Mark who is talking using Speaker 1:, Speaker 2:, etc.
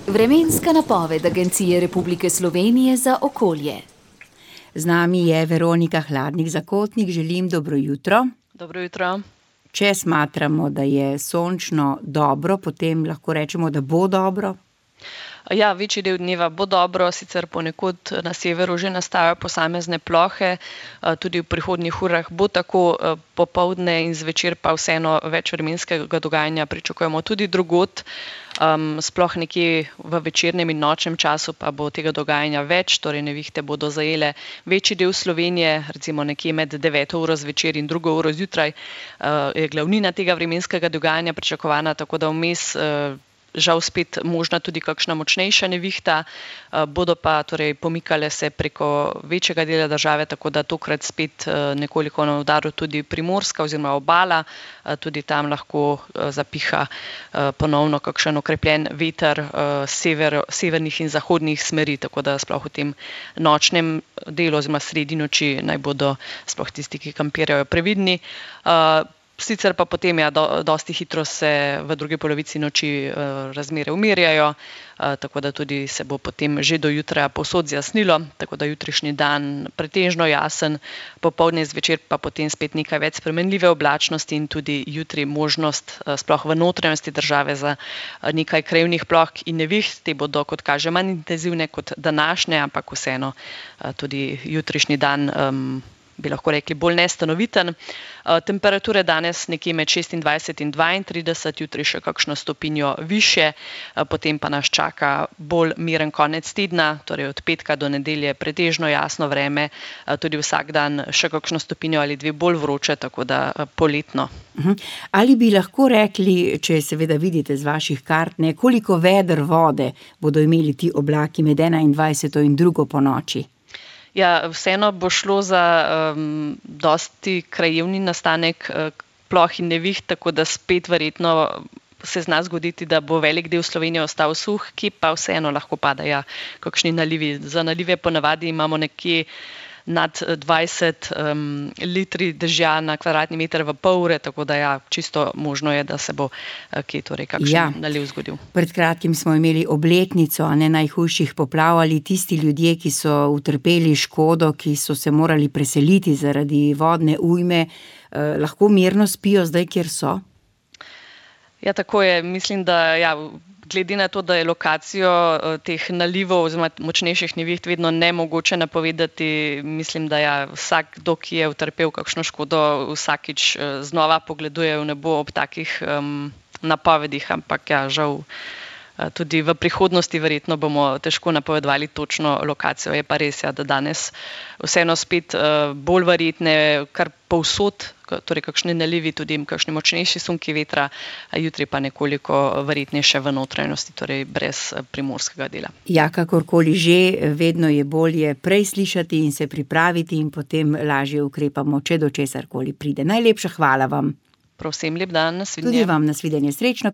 Speaker 1: Vremenska napoved Agencije Republike Slovenije za okolje.
Speaker 2: Z nami je Veronika Hladnik-Zakotnik, želim dobro jutro.
Speaker 3: Dobro jutro.
Speaker 2: Če smatramo, da je sončno dobro, potem lahko rečemo, da bo dobro?
Speaker 3: Ja, večji del dneva bo dobro, sicer ponekod na severu že nastajajo posamezne plohe, tudi v prihodnjih urah bo tako, popoldne in zvečer pa vseeno več vremenskega dogajanja pričakujemo tudi drugod. Sploh nekje v večernem in nočnem času pa bo tega dogajanja več, torej nevihte bodo zajele večji del Slovenije, recimo nekje med 9. uro zvečer in 2. uro zjutraj, je glavnina tega vremenskega dogajanja pričakovana, tako da vmes žal spet možna tudi kakšna močnejša nevihta, bodo pa torej pomikale se preko večjega dela države, tako da tokrat spet nekoliko na udaru tudi Primorska oziroma Obala, tudi tam lahko zapiha ponovno kakšen okrepljen veter severnih in zahodnih smeri, tako da sploh v tem nočnem delu oziroma sredi noči naj bodo sploh tisti, ki kampirajo, previdni. Sicer pa potem dosti hitro se v drugi polovici noči razmere umirjajo, tako da tudi se bo potem že do jutra povsod zjasnilo, tako da jutrišnji dan pretežno jasen, popoldne zvečer pa potem spet nekaj več spremenljive oblačnosti in tudi jutri možnost sploh v notranjosti države za nekaj krajevnih ploh in neviht. Te bodo, kot kaže, manj intenzivne kot današnje, ampak vseeno tudi jutrišnji dan bi lahko rekli bolj nestanoviten. Temperature danes nekje med 26 in 32, jutri še kakšno stopinjo višje, potem pa nas čaka bolj miren konec tedna, torej od petka do nedelje pretežno jasno vreme, tudi vsak dan še kakšno stopinjo ali dve bolj vroče, tako da poletno.
Speaker 2: Ali bi lahko rekli, če seveda vidite z vaših kart, koliko veder vode bodo imeli ti oblaki med 21. in 2. ponoči?
Speaker 3: Ja, vseeno bo šlo za dosti krajevni nastanek ploh in neviht, tako da spet verjetno se zna zgoditi, da bo velik del Slovenije ostal suh, ki pa vseeno lahko padajo kakšni nalivi. Za nalive ponavadi imamo nekje nad 20 litri dežja na kvadratni meter v pol ure, tako da ja, čisto možno je, da se bo kje torej kakšen naliv zgodil.
Speaker 2: Pred kratkim smo imeli obletnico najhujših poplav, ali tisti ljudje, ki so utrpeli škodo, ki so se morali preseliti zaradi vodne ujme, lahko mirno spijo zdaj, kjer so?
Speaker 3: Ja, tako je. Mislim, da glede na to, da je lokacijo teh nalivov oziroma močnejših neviht vedno nemogoče napovedati, mislim, da vsakdo, ki je utrpel kakšno škodo, vsakič znova pogleduje v nebo ob takih napovedih, ampak žal tudi v prihodnosti verjetno bomo težko napovedovali točno lokacijo. Je pa res, da danes vseeno spet bolj verjetne kar povsod, torej kakšni nalivi, tudi kakšni močnejši sunki vetra, jutri pa nekoliko verjetnejše v notranjosti, torej brez primorskega dela.
Speaker 2: Ja, kakorkoli že, vedno je bolje prej slišati in se pripraviti in potem lažje ukrepamo, če do česarkoli pride. Najlepša hvala vam.
Speaker 3: Prav vsem lep dan, nasvidenje.
Speaker 2: Tudi vam nasvidenje, srečno.